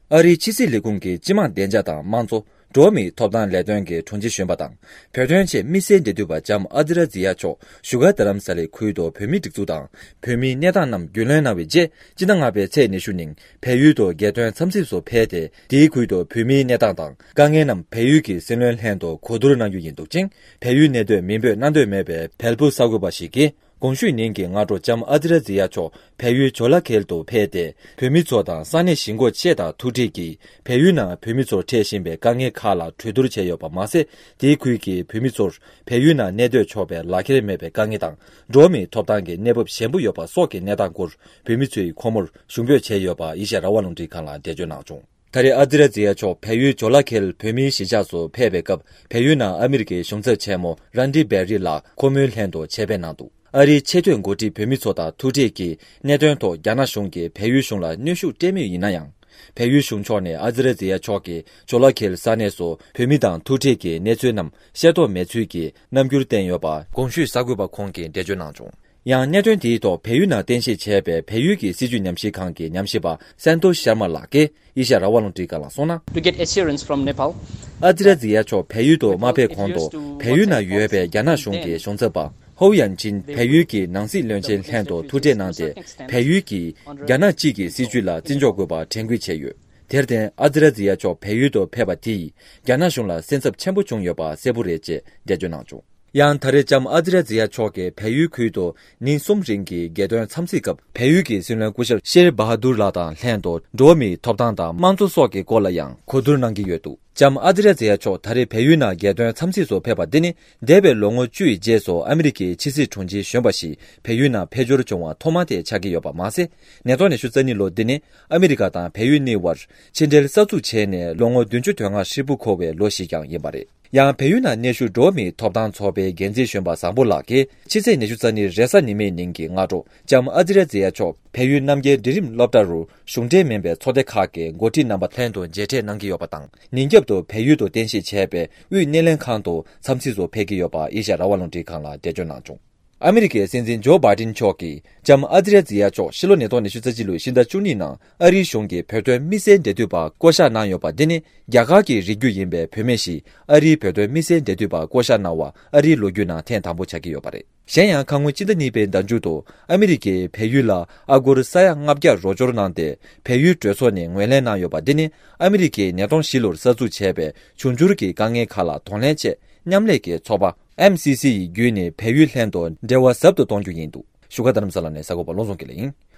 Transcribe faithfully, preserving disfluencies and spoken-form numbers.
ཨ་རིའི་ཕྱི་སྲིད་ལས་ཁུངས་ཀྱི་སྤྱི་དམངས་བདེ་འཇགས་དང་དམངས་གཙོ། འགྲོ་བ་མིའི་ཐོབ་ཐང་ལས་དོན་གྱི་དྲུང་ཆེ་གཞོན་པ་དང་། བོད་དོན་ཆེད་དམིགས་བསལ་འབྲེལ་མཐུད་པ་ལྕམ་ཨ་ཛི་ར་ཛི་ཡ་མཆོག་བཞུགས་སྒར་རྡ་རམ་ས་ལའི་ཁུལ་དུ་བོད་མིའི་སྒྲིག་འཛུགས་དང་། བོད་མིའི་གནས་སྟངས་རྣམས་རྒྱུས་ལོན་གནང་བའི་རྗེས། སྤྱི་ཟླ་ལྔ་པའི་ཚེས་ཉི་ཤུ་ཉིན་བལ་ཡུལ་དུ་རྒྱལ་དོན་འཚམས་གཟིགས་སུ་ཕེབས་ཏེ། དེའི་ཁུལ་དུ་བོད་མིའི་གནས་སྟངས་དང་དཀའ་ངལ་རྣམས་བལ་ཡུལ་གྱི་སྲིད་བློན་ལྷན་དུ་གོ་བསྡུར་གནང་རྒྱུ་ཡིན་འདུག་ཅིང་། བལ་ཡུལ་གནས་སྡོད་མིང་འབོད་གནང་འདོད་མེད་པའི་བལ་པོ་གསར་འགོད་པ་ཞིག་གིས། གོང་ཞུས་ཉིན་གྱི་སྔ་དྲོ་ལྕམ་ཨ་ཛི་ར་ཛི་ཡ་མཆོག་བལ་ཡུལ་ཇོ་ལ་ཁེལ་དུ་ཕེབས་ཏེ། བོད་མི་ཚོ་དང་ས་གནས་གཞིས་འགོ་ཆེ་དང་ཐུག་འཕྲད་ཀྱིས། བལ་ཡུལ་ནང་བོད་མི་ཚོར་འཕྲད་བཞིན་པའི་དཀའ་ངལ་ཁག་ལ་གྲོས་བསྡུར་བྱས་ཡོད་པ་མ་ཟད། དེའི་ཁུལ་གྱི་བོད་མི་ཚོར་བལ་ཡུལ་ནང་གནས་སྡོད་ཆོག་པའི་ལག་ཁྱེར་མེད་པའི་དཀའ་ངལ་དང་། འགྲོ་བ་མིའི་ཐོབ་ཐང་གི་གནས་བབ་ཞན་པོ་ཡོད་པ་སོགས་ཀྱི་གནས་སྟངས་སྐོར་བོད་མི་ཚོས་ཁོ་མོར་ཞུ་འབོད་བྱས་ཡོད་པ་ཨེ་ཤ་ཡ་རང་དབང་རླུང་འཕྲིན་ཁང་ལ་འགྲེལ་བརྗོད་གནང་བྱུང་། ད་རེས་ཨ་ཛི་ར་ཛི་ཡ་མཆོག་བལ་ཡུལ་ཇོ་ལ་ཁེལ་བོད་མིའི་གཞིས་ཆགས་སུ་ཕེབས་པའི་སྐབས། བལ་ཡུལ་ནང་ཨ་མི་རི་ཀའི་གཞུང་ཚབ་ཆེན་མོ་རན་ཌི་བེ་རི་ལགས་ཁོ་མོའི་ལྷན་དུ་ཆེད་ཕེབས་གནང་འདུག། ཨ་རིའི་ཆེས་མཐོའི་འགོ་ཁྲིད་བོད་མི་ཚོ་དང་ཐུག་འཕྲད་ཀྱིས། གནད་དོན་ཐོག་རྒྱ་ནག་གཞུང་གིས་བལ་ཡུལ་གཞུང་ལ་གནོན་ཤུགས་སྤྲད་མུས་ཡིན་ན་ཡང་། བལ་ཡུལ་གཞུང་ཕྱོགས་ནས་ཨ་ཛི་ར་ཛི་ཡ་མཆོག་གིས་ཇོ་ལ་ཁེལ་ས་གནས་སུ་བོད་མི་དང་ཐུག་འཕྲད་ཀྱི་གནས་ཚུལ་རྣམས་ཤེས་རྟོགས་མེད་ཚུལ་གྱི་རྣམ་འགྱུར་བསྟན་ཡོད་པ། གོང་ཞུས་གསར་འགོད་པ་ཁོང་གིས་འགྲེལ་བརྗོད་གནང་བྱུང་། ཡང་གནད་དོན་དེའི་ཐོག་བལ་ཡུལ་ནང་རྟེན་གཞི་བྱས་པའི་བལ་ཡུལ་གྱི་སྲིད་བྱུས་ཉམས་ཞིབ་ཁང་གི་ཉམས་ཞིབ་པ་སན་ཏོ་ཤར་མ་ལགས་ཀྱིས་ཨེ་ཤ་ཡ་རང་དབང་རླུང་འཕྲིན་ཁང་ལ་གསུངས་ན། To get assurance from Nepal. ཨ་ཛི་ར་ཛི་ཡ་མཆོག་བལ་ཡུལ་དུ་མ་ཕེབས་གོང་དུ། བལ་ཡུལ་ནང་ཡོད་པའི་རྒྱ་ནག་གཞུང་གི་གཞུང་ཚབ་པ་ཧོ་ཡན་ཅིན་བལ་ཡུལ་གྱི་ནང་སྲིད་བློན་ཆེན་ལྷན་དུ་ཐུག་འཕྲད་གནང་སྟེ། བལ་ཡུལ་གྱིས་རྒྱ་ནག་གཅིག་གི་སྲིད་བྱུས་ལ་བརྩི་འཇོག་དགོས་པ་དྲན་སྐུལ་བྱས་ཡོད། དེར་བརྟེན། ཨ་ཛི་ར་ཛི་ཡ་མཆོག་བལ་ཡུལ་དུ་ཕེབས་པ་དེས་རྒྱ་ནག་གཞུང་ལ་སེམས་འཚབ་ཆེན་པོ་བྱུང་ཡོད་པ་གསལ་པོ་རེད་ཅེས་འགྲེལ་བརྗོད་གནང་བྱུང་། ཡང་ད་རེས་ལྕམ་ཨ་ཛི་ར་ཛི་ཡ་མཆོག་གིས་བལ་ཡུལ་ཁུལ་དུ་ཉིན་གསུམ་རིང་གི་རྒྱལ་དོན་འཚམས་གཟིགས་སྐབས། བལ་ཡུལ་གྱི་སྲིད་བློན་སྐུ་ཞབས་ཤེར་བྷ་ཧ་དུར་ལགས་དང་ལྷན་དུ་འགྲོ་བ་མིའི་ཐོབ་ཐང་དང་དམངས་གཙོ་སོགས་ཀྱི་སྐོར་ལ་ཡང་གོ་བསྡུར་གནང་གི་ཡོད་འདུག། ལྕམ་ཨ་ཛི་ར་ཛི་ཡ་མཆོག་ད་རེས་བལ་ཡུལ་ནང་རྒྱལ་དོན་འཚམས་གཟིགས་སུ་ཕེབས་པ་འདི་ནི། འདས་པའི་ལོ་ངོ་བཅུ་ཡི་རྗེས་སུ་ཨ་མི་རི་ཀའི་ཕྱི་སྲིད་དྲུང་ཆེ་གཞོན་པ་ཞིག་བལ་ཡུལ་ནང་ཕེབས་འབྱོར་བྱུང་བ་ཐོག་མ་དེ་ཆགས་ཀྱི་ཡོད་པ་མ་ཟད། ཉིས་སྟོང་ཉི་ཤུ་རྩ་གཉིས་ལོ་འདི་ནི་ཨ་མི་རི་ཀ་དང་བལ་ཡུལ་གཉིས་བར་ཕྱི་འབྲེལ་གསར་འཛུགས་བྱས་ནས་ལོ་ངོ་བདུན་ཅུ་དོན་ལྔ་ཧྲིལ་པོ་འཁོར་བའི་ལོ་ཞིག་ཀྱང་ཡིན་པ་རེད། ཡང་བལ་ཡུལ་ནང་གནས་བཞུགས་འགྲོ་བ་མིའི་ཐོབ་ཐང་ཚོགས་པའི་འགན་འཛིན་གཞོན་པ་བཟང་པོ་ལགས་ཀྱིས་ཕྱི་ཚེས་ཉི་ཤུ་རྩ་གཉིས་རེས་གཟའ་ཉི་མའི་ཉིན་གྱི་སྔ་དྲོ་ལྕམ་ཨ་ཛི་ར་ཛི་ཡ་མཆོག་བལ་ཡུལ་རྣམ་རྒྱལ་འབྲིང་རིམ་སློབ་གྲྭ་རུ་གཞུང་འབྲེལ་མིན་པའི་ཚོགས་སྡེ་ཁག་གི་འགོ་ཁྲིད་རྣམ་པ་ལྷན་དུ་མཇལ་འཕྲད་གནང་གི་ཡོད་པ་དང་། ཉིན་རྒྱབ་ཏུ་བལ་ཡུལ་དུ་རྟེན་གཞི་བྱས་པའི་དབུས་སྣེ་ལེན་ཁང་དུ་འཚམས་གཟིགས་སུ་ཕེབས་ཀྱི་ཡོད་པ་ཨེ་ཤ་ཡ་རང་དབང་རླུང་འཕྲིན་ཁང་ལ་འགྲེལ་བརྗོད་གནང་བྱུང་། ཨ་མི་རི་ཀའི་སྲིད་འཛིན་ཇོ་བྷའི་ཏིན་མཆོག་གིས་ལྕམ་ཨ་ཛི་ར་ཛི་ཡ་མཆོག་ཕྱི་ལོ་ཉིས་སྟོང་ཉི་ཤུ་རྩ་གཅིག་ལོའི་ཕྱི་ཟླ་བཅུ་གཉིས་ནང་ཨ་རིའི་གཞུང་གིས་བོད་དོན་དམིགས་བསལ་འབྲེལ་མཐུད་པ་བསྐོ་གཞག་གནང་ཡོད་པ་འདི་ནི། རྒྱ་གར་གྱི་རིགས་རྒྱུད་ཡིན་པའི་བུད་མེད་ཞིག་ཨ་རིའི་བོད་དོན་དམིགས་བསལ་འབྲེལ་མཐུད་པ་བསྐོ་གཞག་གནང་བ་ཨ་རིའི་ལོ་རྒྱུས་ནང་ཐེངས་དང་པོ་ཆགས་ཀྱི་ཡོད་པ་རེད། གཞན་ཡང་། ཁ་སྔོན་སྤྱི་ཟླ་གཉིས་པའི་ཟླ་མཇུག་ཏུ་ཨ་མི་རི་ཀས་བལ་ཡུལ་ལ་ཨ་སྒོར་ས་ཡ་ལྔ་བརྒྱ་རོགས་སྐྱོར་གནང་སྟེ། བལ་ཡུལ་གྲོས་ཚོགས་ནས་ངོས་ལེན་གནང་ཡོད་པ་འདི་ནི། ཨ་མི་རི་ཀས་ཉིས་སྟོང་བཞི་ལོར་གསར་འཛུགས་བྱས་པའི་འབྱུང་འགྱུར་གྱི་དཀའ་ངལ་ཁག་ལ་གདོང་ལེན་ཆེད། མཉམ་ལས་ཀྱི་ཚོགས་པ་ཨེམ་སི་སི་ཡི་བརྒྱུད་ནས་བལ་ཡུལ་ལྷན་དུ་འབྲེལ་བ་ཟབ་ཏུ་གཏོང་རྒྱུ་ཡིན་འདུག། བཞུགས་སྒར་རྡ་རམ་ས་ལ་ནས་གསར་འགོད་པ་བློ་བཟང་དགེ་ལེགས་ཡིན།